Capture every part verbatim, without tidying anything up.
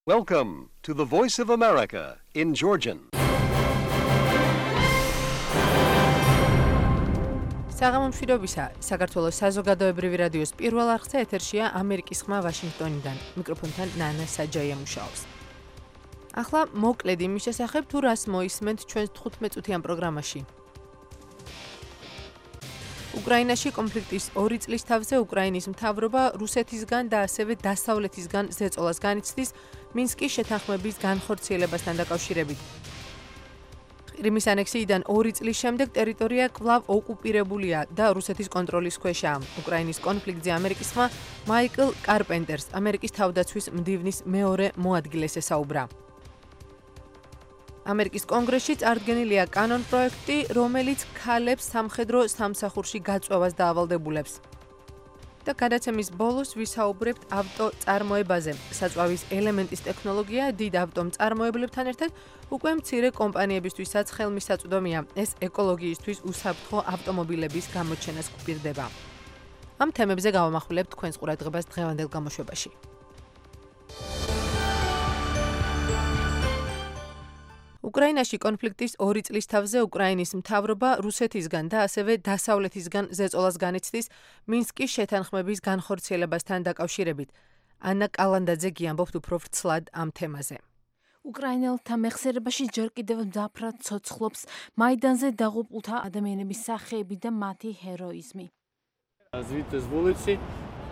Welcome to the Voice of America in Georgian. საღამომშვიდობისა, საქართველოს საზოგადოებრივი რადიოს პირველ არხზე ეთერშია ამერიკის ხმა ვაშინგტონიდან. მიკროფონთან ნანა საჯაია მუშაობს. ახლა მოკლედ იმის შესახებ, თუ რას მოისმენთ ჩვენს თხუთმეტ წუთიან პროგრამაში. უკრაინაში კონფლიქტის ორი წლის თავზე უკრაინის მთავრობა რუსეთისგან და ასევე დასავლეთისგან ზეწოლას განიცდის მინსკის შეთანხმების განხორციელებასთან დაკავშირებით. ყირიმის ანექსიიდან ორი წლის შემდეგ ტერიტორია კვლავ ოკუპირებულია და რუსეთის კონტროლის ქვეშაა. უკრაინის კონფლიქტზე ამერიკის ხმა მაიკლ კარპენტერს, ამერიკის თავდაცვის მდივნის მეორე მოადგილეს ესაუბრა. ამერიკის კონგრესში წარდგენილია კანონ პროექტი, რომელიც ქალებს სამხედრო სამსახურში გაწვევას დაავალდებულებს. და გადაცემის ბოლოს ვისაუბრებთ ავტოწარმოებაზე. საწვავის ელემენტის ტექნოლოგია დიდ ავტომწარმოებლებთან ერთად უკვე მცირე კომპანიებისთვისაც ხელმისაწვდომია. ეს ეკოლოგიისთვის უსაფრთხო ავტომობილების გამოჩენას გვპირდება. ამ თემებზე გავამახვილებთ თქვენს ყურადღებას დღევანდელ გამოშვებაში. უკრაინაში კონფლიქტის ორი წლის თავზე უკრაინის მთავრობა რუსეთისგან და ასევე დასავლეთისგან ზეწოლას განიცდის მინსკის შეთანხმების განხორციელებასთან დაკავშირებით. ანა კალანდაძე გიამბობთ უფრო ვრცლად ამ თემაზე. უკრაინელთა მეხსიერებაში ჯერ კიდევ მძაფრად ცოცხლობს მაიდანზე დაღუპულთა ადამიანების სახეები და მათი ჰეროიზმი. Звідти з вулиці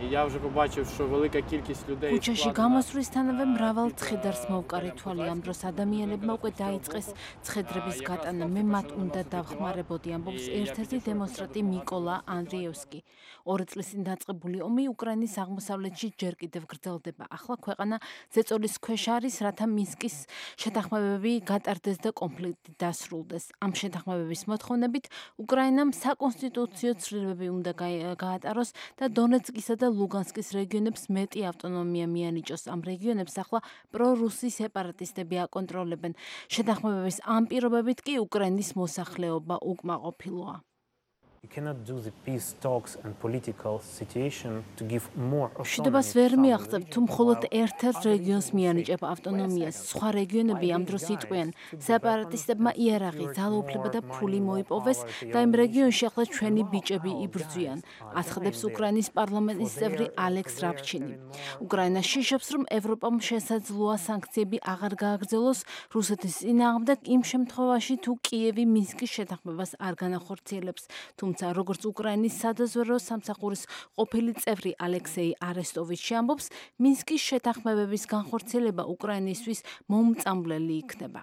я вже побачив, що велика кількість людей ქუჩაში გამოსვლისთანავე მრავალ ცხედარს მოვკარი თვალი. ამ დროს ადამიანებმა უკვე დაიწყეს ცხედრების გატანა. მე მათ უნდა დავხმარებოდი, ამბობს ერთ-ერთი დემონსტრანტი მიკოლა ანდრიევსკი. ორი წლის წინ დაწყებული ომი უკრაინის აღმოსავლეთში ჯერ კიდევ გრძელდება. ახლა ქვეყანა ზეწოლის ქვეშ არის, რათა მინსკის შეთანხმებები გატარდეს და კონფლიქტი დასრულდეს. ამ შეთანხმებების მოთხოვნებით უკრაინამ საკონსტიტუციო ცვლილებები უნდა გაატაროს და დონეცკისა და ლუგანსკის რეგიონებს მეტი ავტონომია მიანიჭოს. ამ რეგიონებს ახლა პრორუსი სეპარატისტები აკონტროლებენ. შეთანხმებების ამ პირობებით კი უკრაინის მოსახლეობა უკმაყოფილოა. მშვიდობას ვერ მიაღწევ, თუ მხოლოდ ერთ-ერთ რეგიონს მიანიჭებ ავტონომიას. სხვა რეგიონები ამ დროს იტყვიან, სეპარატისტებმა იარაღი, ძალაუფლება და ფული მოიპოვეს და იმ რეგიონში ახლა ჩვენი ბიჭები იბრძვიან, აცხადებს უკრაინის პარლამენტის წევრი ალექს რაბჩინი. უკრაინა შიშობს, რომ ევროპამ შესაძლოა სანქციები აღარ გააგრძელოს რუსეთის წინააღმდეგ იმ შემთხვევაში, თუ კიევი მინსკის შეთანხმებას არ განახორციელებს. თუმცა როგორც უკრაინის სადაზვერვო სამსახურის ყოფილი წევრი ალექსეი არესტოვიჩი ამბობს, მინსკის შეთანხმებების განხორციელება უკრაინისთვის მომწამვლელი იქნება.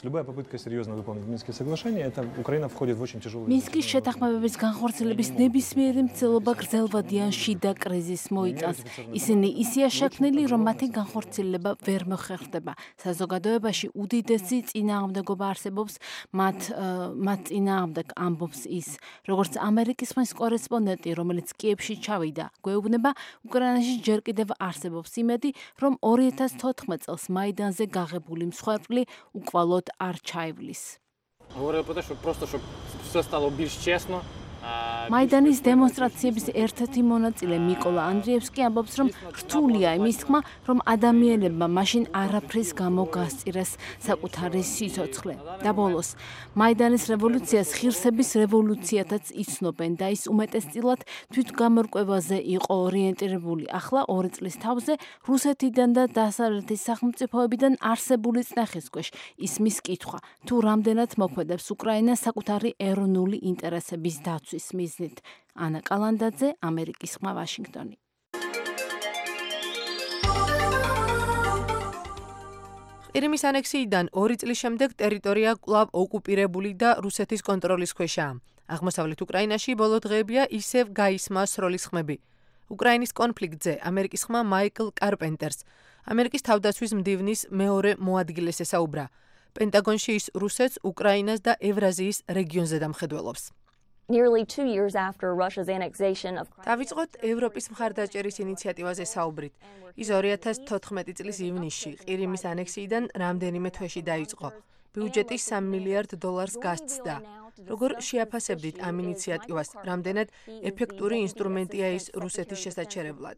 Любая попытка серьезно выполнить Минские соглашения, это Украина входит в очень тяжелую. მინსკის შეთანხმებების განხორციელების ნებისმიერი მცდელობა გრძელვადიან შიდა კრიზისს მოიტანს. ისინი ისეა შექმნილი, რომ მათი განხორციელება ვერ მოხერხდება. საზოგადოებაში უდიდესი წინააღმდეგობა არსებობს მათ მათ წინააღმდეგ, ამბობს ის. როგორც ამერიკის ხმის კორესპონდენტი, რომელიც კიევში ჩავიდა, გვეუბნება, უკრაინაში ჯერ კიდევ არსებობს იმედი, რომ ორი ათას თოთხმეტ წელს მაიდანზე გაღებული მსხვერპლი უკვალოდ არ ჩაივლის. Говорили про те, що просто щоб все стало більш чесно. მაიდანის დემონსტრაციების ერთ-ერთი მონაწილე მიკოლა ანდრიევსკი ამბობს, რომ რთულია იმის თქმა, რომ ადამიანებმა მაშინ არაფრის გამო გასწირეს საკუთარი სიცოცხლე. და ბოლოს, მაიდანის რევოლუციას ღირსების რევოლუციათაც იცნობენ და ის უმეტესწილად თვითგამორკვევაზე იყო ორიენტირებული. ახლა ორი წლის თავზე რუსეთიდან და დასავლეთის სახელმწიფოებიდან არსებული წნეხის ქვეშ ისმის კითხვა, თუ რამდენად მოქმედებს უკრაინა საკუთარი ეროვნული ინტერესების დაცვის მიზნით. ანა კალანდაძე, ამერიკის ხმა, ვაშინგტონი. ყირიმის ანექსიიდან ორი წლის შემდეგ ტერიტორია კვლავ ოკუპირებული და რუსეთის კონტროლის ქვეშაა. აღმოსავლეთ უკრაინაში ბოლო დღეებია ისევ გაისმა სროლის ხმები. უკრაინის კონფლიქტზე ამერიკის ხმა მაიკლ კარპენტერს, ამერიკის თავდაცვის მდივნის მეორე მოადგილეს ესაუბრა. პენტაგონში ის რუსეთს, უკრაინას და ევრაზიის რეგიონზე დამხედველობს. Nearly two years after Russia's annexation of დავიწყოთ ევროპის მხარდაჭერის ინიციატივაზე საუბრით. ის ორი ათას თოთხმეტი წლის ივნისში ყირიმის ანექსიიდან რამდენიმე თვეში დაიწყო. ბიუჯეტი სამი მილიარდ დოლარს გასცდა. როგორ შეაფასებდით ამ ინიციატივას? რამდენად ეფექტური ინსტრუმენტია ის რუსეთის შესაჩერებლად?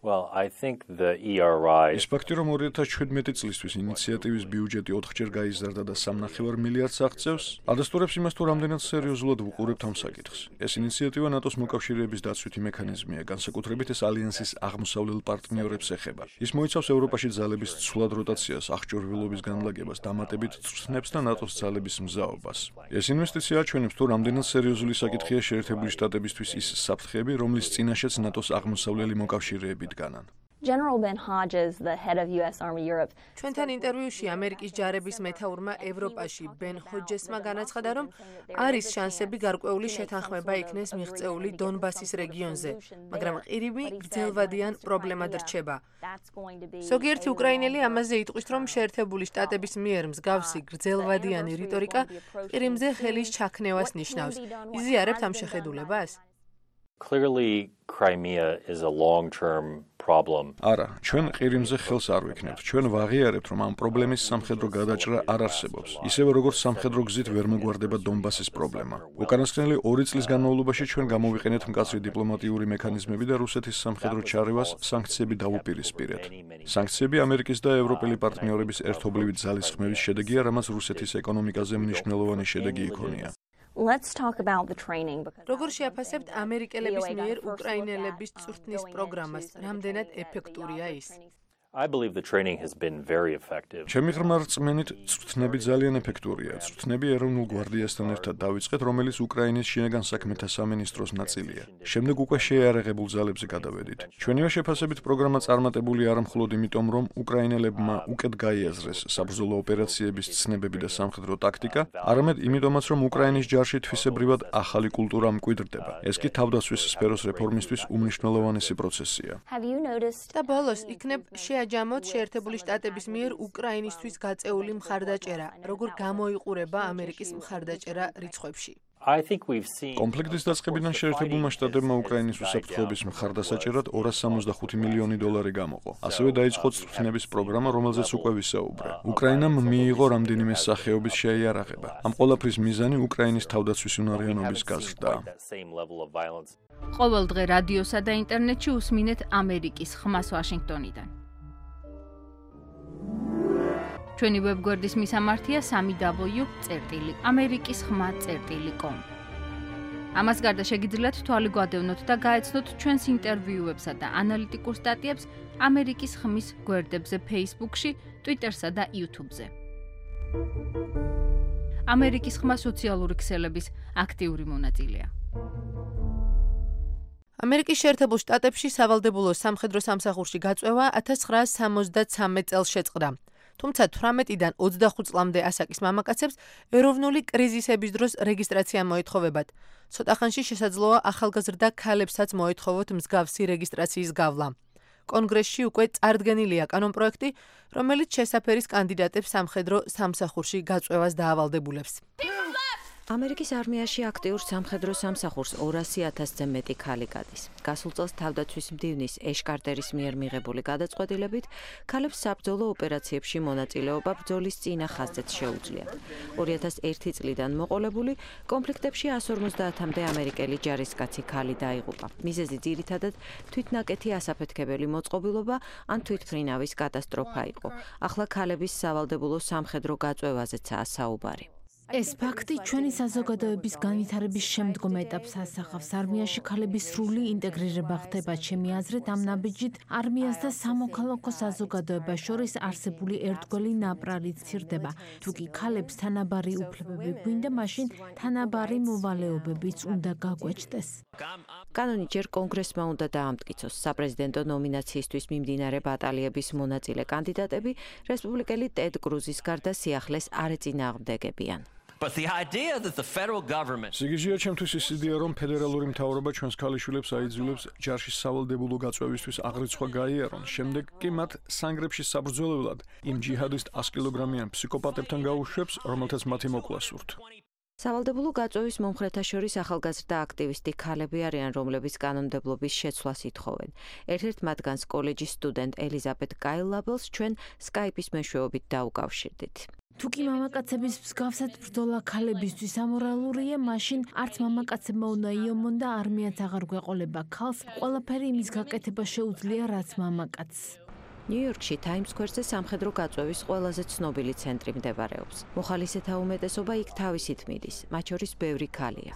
Well, I think the E R I ის ფაქტი, რომ ორი ათას შვიდმეტი წლისთვის ინიციატივის ბიუჯეტი ოთხჯერ გაიზარდა და სამნახევარ მილიარდს აღწევს, ადასტურებს იმას, თუ რამდენად სერიოზულად ვუყურებთ ამ საკითხს. ეს ინიციატივა ნატოს მოკავშირეების დაცვითი მექანიზმია, განსაკუთრებით ეს ალიანსის აღმოსავლელ პარტნიორებს ეხება. ის მოიცავს ევროპაში ძალების ცვლად როტაციას, აღჭურვილობის განლაგებას, დამატებით წვრთნებს და ნატოს ძალების მზაობას. ეს ინვესტიცია აჩვენებს, თუ რამდენად სერიოზული საკითხია შეერთებული შტატებისთვის ის საფრთხეები, რომლის წინაშეც ნატოს აღმოსავლელი მოკავშირეები დგანან. General Ben Hodges, the head of U S Army Europe, ჩვენთან ინტერვიუში ამერიკის ჯარების მეთაურმა ევროპაში ბენ ჰოჯესმა განაცხადა, რომ არის შანსები გარკვეული შეთანხმება იქნეს მიღწეული დონბასის რეგიონზე, მაგრამ ყირიმი გრძელვადიან პრობლემად რჩება. ზოგიერთი უკრაინელი ამაზე იტყვის, რომ შეერთებული შტატების მიერ მსგავსი გრძელვადიანი რიტორიკა ყირიმზე ხელის ჩაქნევას ნიშნავს. იზიარებთ ამ შეხედულებას? Clearly, Crimea is a long-term problem. არა, ჩვენ ყირიმზე ხელს არ ვიქნებთ. ჩვენ ვაღიარებთ, რომ ამ პრობლემის სამხედრო გადაჭრა არ არსებობს. ისევე როგორც სამხედრო გზით ვერ მოგვარდება დონბასის პრობლემა. უკანასკნელი ორი წლის განმავლობაში ჩვენ გამოვიყენეთ მკაცრი დიპლომატიური მექანიზმები და რუსეთის სამხედრო ჩარევას სანქციები დავუპირისპირეთ. სანქციები ამერიკის და ევროპელი პარტნიორების ერთობლივი ძალისხმევის შედეგია, რამაც რუსეთის ეკონომიკაზე მნიშვნელოვანი შედეგი იქონია. Let's talk about the training because როგორ შეაფასებთ ამერიკელების მიერ უკრაინელების წვრთნის პროგრამას? რამდენად ეფექტურია ის? I believe the training has been very effective. ჩემი ღრმა რწმენით, წვრთნები ძალიან ეფექტურია. წვრთნები ეროვნულ გვარდიასთან ერთად დავიწყეთ, რომელიც უკრაინის შინაგან საქმეთა სამინისტროს ნაწილია. შემდეგ უკვე შეიარაღებულ ძალებზე გადავედით. ჩვენივე შეფასებით პროგრამა წარმატებული არა მხოლოდ იმიტომ, რომ უკრაინელებმა უკეთ გაიაზრეს საბრძოლო ოპერაციების ცნებები და სამხედრო ტაქტიკა, არამედ იმიტომაც, რომ უკრაინის ჯარში თვისებრივად ახალი კულტურა მკვიდრდება. ეს კი თავდაცვის სფეროს რეფორმისთვის უმნიშვნელოვანესი პროცესია. have you noticed და ბოლოს იქნებ შეაჯამოთ შეერთებული შტატების მიერ უკრაინისთვის გაწეული მხარდაჭერა, როგორ გამოიყურება ამერიკის მხარდაჭერა რიცხვებში? I think we've seen კონფლიქტის დაწყებიდან შეერთებულმა შტატებმა უკრაინის უსაფრთხოების მხარდასაჭერად ორას სამოცდახუთი მილიონი დოლარი გამოყო. ასევე დაიწყო წვრთნების პროგრამა, რომელზეც უკვე ვისაუბრე. უკრაინამ მიიღო რამდენიმე სახეობის შეიარაღება. ამ ყველაფრის მიზანი უკრაინის თავდაცვის უნარიანობის გაზრდაა. ყოველ დღე რადიოსა და ინტერნეტში უსმინეთ ამერიკის ხმას ვაშინგტონიდან. ჩვენი ვებგვერდის მისამართია სამი დაბლიუ წერტილი ამერიკის ხმა წერტილი კომ. ამას გარდა შეგიძლიათ თვალი გვადევნოთ და გაეცნოთ ჩვენს ინტერვიუებსა და ანალიტიკურ სტატიებს ამერიკის ხმის გვერდებზე Facebook-ში, Twitter-სა და YouTube-ზე. ამერიკის ხმა სოციალური ქსელების აქტიური მონაწილეა. ამერიკის შეერთებულ შტატებში სავალდებულო სამხედრო სამსახურში გაწვევა ათას ცხრაასი სამოცდათრამეტ წელს შეწყდა. თუმცა თვრამეტიდან ოცდახუთ წლამდე ასაკის მამაკაცებს ეროვნული კრიზისების დროს რეგისტრაცია მოეთხოვებათ. ცოტა ხანში შესაძლოა ახალგაზრდა ქალებსაც მოეთხოვოთ მსგავსი რეგისტრაციის გავლა. კონგრესში უკვე წარდგენილია კანონპროექტი, რომელიც შესაფერის კანდიდატებს სამხედრო სამსახურში გაწვევას დაავალდებულებს. ამერიკის არმიაში აქტიურ სამხედრო სამსახურს ორასი ათასზე მეტი ქალი გადის. გასულ წელს თავდაცვის მდივნის ეშ კარტერის მიერ მიღებული გადაწყვეტილებით ქალებს საბრძოლო ოპერაციებში მონაწილეობა ბრძოლის წინა ხაზზეც შეუძლიათ. ორი ათას ერთი წლიდან მოყოლებული კონფლიქტებში εκατს ორმოცდაათამდე ამერიკელი ჯარისკაცი ქალი დაიღუპა. მიზეზი ძირითადად თვითნაკეთი ასაფეთქებელი მოწყობილობა ან თვითმფრინავის კატასტროფა იყო. ახლა ქალების სავალდებულო სამხედრო გაწვევაზეცაა საუბარი. ეს ფაქტი ჩვენი საზოგადოების განვითარების შემდგომ ეტაპს ასახავს. არმიაში ქალების სრული ინტეგრირება ხდება, ჩემი აზრით, ამ ნაბიჯით არმიას და სამოქალაქო საზოგადოებას შორის არსებული ერთგვარი ნაპრალი ცირდება. თუ კი ქალებს თანაბარი უფლებები გვინდა, მაშინ თანაბარი მოვალეობებიც უნდა გაგვეჭდეს. კანონი ჯერ კონგრესმა უნდა დაამტკიცოს. საპრეზიდენტო ნომინაციისთვის მიმდინარე ბატალიების მონაწილე კანდიდატები რესპუბლიკელი ტედ კრუზის გარდა სიახლეს არ ეწინააღმდეგებიან. But the idea that the federal government სიგიჟეა ჩემთვის ის იდეა, რომ ფედერალური მთავრობა ჩვენს ქალიშვილებს აიძულებს ჯარში სავალდებულო გაწვევისთვის აღრიცხვა გაიარონ, შემდეგ კი მათ სანგრებში საბრძოლველად იმ ჯიჰადისტ ას კილოგრამიან ფსიქოპატებთან გაუშვებს, რომელთაც მათი მოკლა სურთ. სავალდებულო გაწვევის მომხრეთა შორის ახალგაზრდა აქტივისტი ქალები არიან, რომლებიც კანონმდებლობის შეცვლას ითხოვენ. ერთ-ერთ მათგანს კოლეჯის სტუდენტ ელიზაბეთ კაილ ლაბელს ჩვენ სკაიპის მეშვეობით დაუკავშირდით. თუ კი მამაკაცების მსგავსად ბრძოლა ქალებისთვის ამორალურია, მაშინ არც მამაკაცებმა უნდა იომონ და არმიაც აღარ გვეყოლება ქალს, ყველაფერი იმის გაკეთება შეუძლია, რაც მამაკაცს. ნიუ-იორკში Times Square-ზე სამხედრო გაწვევის ყველაზე ცნობილი ცენტრი მდებარეობს. მოხალისეთა უმეტესობა იქ თავისით მიდის, მათ შორის ბევრი ქალია.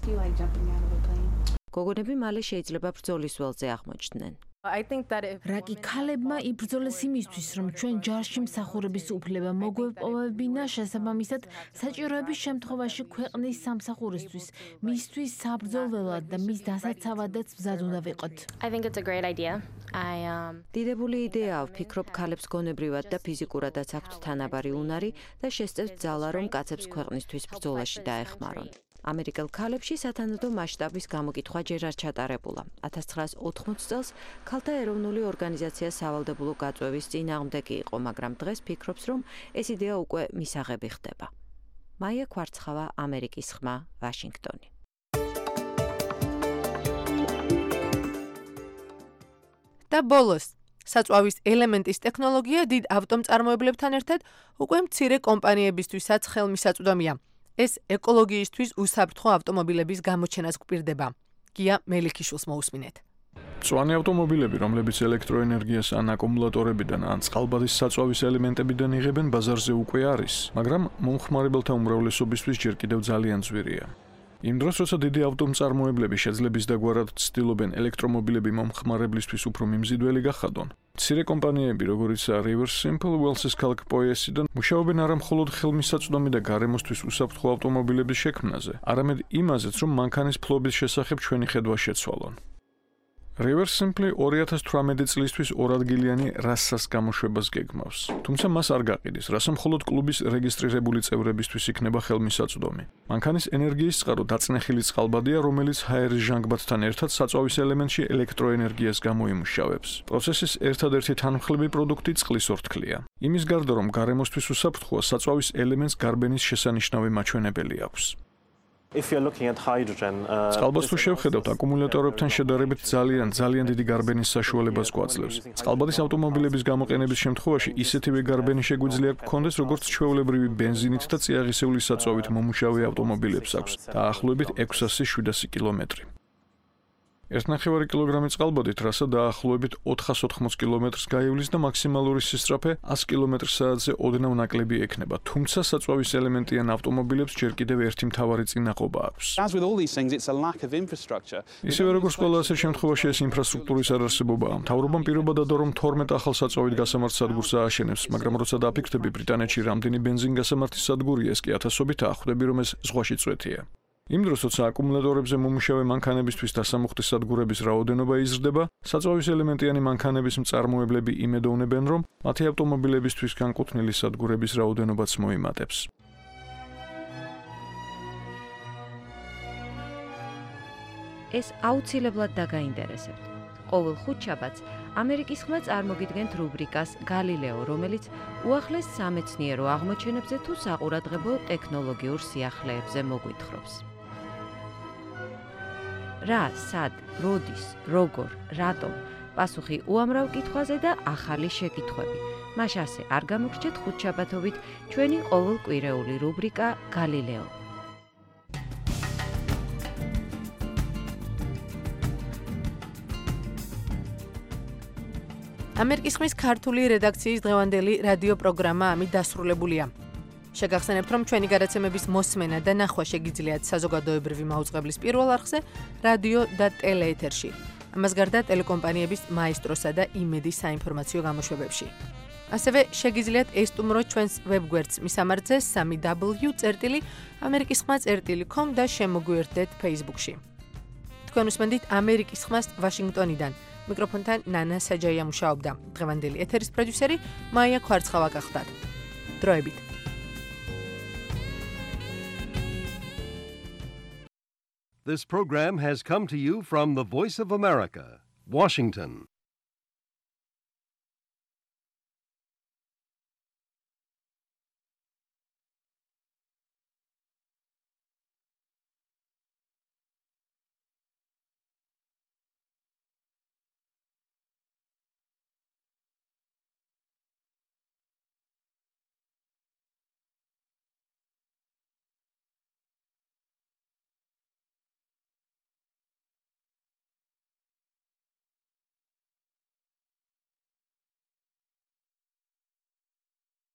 გოგონები მალე შეიძლება ბრძოლის ველზე აღმოჩნდნენ. რა კი ქალებმა იბრძოლეს იმისთვის, რომ ჩვენ ჯარში მსახურების უფლება მოგვეპოვებინა, შესაბამისად საჭიროების შემთხვევაში ქვეყნის სამსახურისთვის, მისთვის საბრძოლველად და მის დასაცავადაც მზად უნდა ვიყოთ. დიდებული იდეაა, ვფიქრობ, ქალებს გონებრივად და ფიზიკურადაც აქვთ თანაბარი უნარი და შესწევთ ძალა, რომ კაცებს ქვეყნისთვის ბრძოლაში დაეხმარონ. ამერიკელ ქალებში სათანადო მასშტაბის გამოკითხვა ჯერ არ ჩატარებულა. ათას ცხრაას ოთხმოცი წელს ქალთა ეროვნული ორგანიზაცია სავალდებულო გაწვევის წინააღმდეგი იყო, მაგრამ დღეს ფიქრობს, რომ ეს იდეა უკვე მისაღები ხდება. მაია კვარცხავა, ამერიკის ხმა, ვაშინგტონი. და ბოლოს, საწვავის ელემენტის ტექნოლოგია დიდ ავტომწარმოებლებთან ერთად უკვე მცირე კომპანიებისთვისაც ხელმისაწვდომია. ეს ეკოლოგიისთვის უსაფრთხო ავტომობილების გამოჩენას გვპირდება. გია მელიქიშვილს მოусმინეთ. მწვანე ავტომობილები, რომლებიც ელექტროენერგიას ან აკუმულატორებიდან ან წყალბადის საწვავის ელემენტებიდან იღებენ, ბაზარზე უკვე არის, მაგრამ მომხმარებელთა უმრავლესობისთვის ჯერ კიდევ ძალიან ძვირია. იმ დროს, როცა დიდი ავტომწარმოებლები შეძლების დაგვარად ცდილობენ ელექტრომობილები მომხმარებლისთვის უფრო მიმზიდველი გახადონ, მცირე კომპანიები, როგორიცაა Reverse Simple, Wells-ის ქალაქ პოიესიდან, მუშაობენ არა მხოლოდ ხელმისაწვდომი და გარემოსთვის უსაფრთხო ავტომობილების შექმნაზე, არამედ იმაზეც, რომ მანქანის ფლობის შესახებ ჩვენი ხედვა შეცვალონ. Reverse Simple ორი ათას თვრამეტი წლისთვის ორადგილიანი რასას გამოშვებას გეგმავს. თუმცა მას არ გაყიდის, რასაც მხოლოდ კლუბის რეგისტრირებული წევრებისთვის იქნება ხელმისაწვდომი. მანქანის ენერგიის წყარო დაწნეხილი წყალბადია, რომელიც ჰაერის ჟანგბადთან ერთად საწვავის ელემენტში ელექტროენერგიას გამოიმუშავებს. პროცესის ერთადერთი თანმხლები პროდუქტი წყლის ორთქლია. იმის გარდა, რომ გარემოსთვის უსაფრთხოა, საწვავის ელემენტს გარბენის შესანიშნავი მაჩვენებელი აქვს. წყალბადს თუ შევხედავთ, აკუმულატორებთან შედარებით ძალიან ძალიან დიდი გარბენის საშუალებას გვაძლევს. წყალბადის ავტომობილების გამოყენების შემთხვევაში ისეთივე გარბენი შეგვიძლია გქონდეს, როგორც ჩვეულებრივი ბენზინით და წიაღისეული საწვავით მომუშავე ავტომობილებს აქვს, დაახლოებით ექვსასი შვიდასი კილომეტრი. ერთი ნახევარი კილოგრამი წყალბადით რასა დაახლოებით ოთხას ოთხმოცი კილომეტრს გაივლის და მაქსიმალური სისწრაფე ასი კილომეტრ/საათზე ოდნავ ნაკლები ექნება, თუმცა საწვავის ელემენტიან ავტომობილებს ჯერ კიდევ ერთი მთავარი წინააღობა აქვს. ისევე როგორც ყველა ასეთ შემთხვევაში ეს ინფრასტრუქტურის არარსებობაა. მთავრობამ პირობა დადო, რომ თორმეტ ახალ საწვავით გასამართ სადგურს ააშენებს, მაგრამ როცა დაფიქრდები, ბრიტანეთში რამდენი ბენზინგასამართის სადგურია, ეს კი ათასობითაა, ხვდები, რომ ეს ზღვაში წვეთია. იმ დროს, როცა აკუმულატორებზე მომუშავე მანქანებისთვის დასამუხტი სადგურების რაოდენობა იზრდება, საწვავის ელემენტიანი მანქანების მწარმოებლები იმედოვნებენ, რომ მათი ავტომობილებისთვის განკუთვნილი სადგურების რაოდენობაც მოიმატებს. ეს აუცილებლად დაგაინტერესებთ. ყოველ ხუთშაბათს ამერიკის ხმა წარმოგიდგენთ რუბრიკას გალილეო, რომელიც უახლეს სამეცნიერო აღმოჩენებზე თუ საყურადღებო ტექნოლოგიურ სიახლეებზე მოგვითხრობს. რა, სად, როდის, როგორ, რატომ? პასუხი უამრავ კითხვაზე და ახალი შეკითხვები. მას ასე არ გამოგრჩეთ ხუთშაბათობით ჩვენი ყოველკვირეული რუბრიკა გალილეო. ამერიკის ხმის ქართული რედაქციის დღევანდელი რადიო პროგრამა ამით დასრულებულია. შეგახსენებთ, რომ ჩვენი გადაცემების მოსმენა და ნახვა შეგიძლიათ საზოგადოებრივი მაუწყებლის პირველ არხზე, რადიო და ტელეეთერში. ამას გარდა ტელეკომპანიების მაესტროსა და იმედის საინფორმაციო გამოშვებებში. ასევე შეგიძლიათ ესტუმროთ ჩვენს ვებგვერდს მისამართზე სამი დაბლიუ წერტილი ამერიკის ხმა წერტილი com და შემოგვიერთდეთ Facebook-ში. თქვენ უსმენთ ამერიკის ხმას ვაშინგტონიდან. მიკროფონთან ნანა საჯაია მუშაობდა. დღევანდელი ეთერის პროდიუსერი მაია კვარცხავა გახლდათ. დროებით. This program has come to you from the Voice of America, Washington.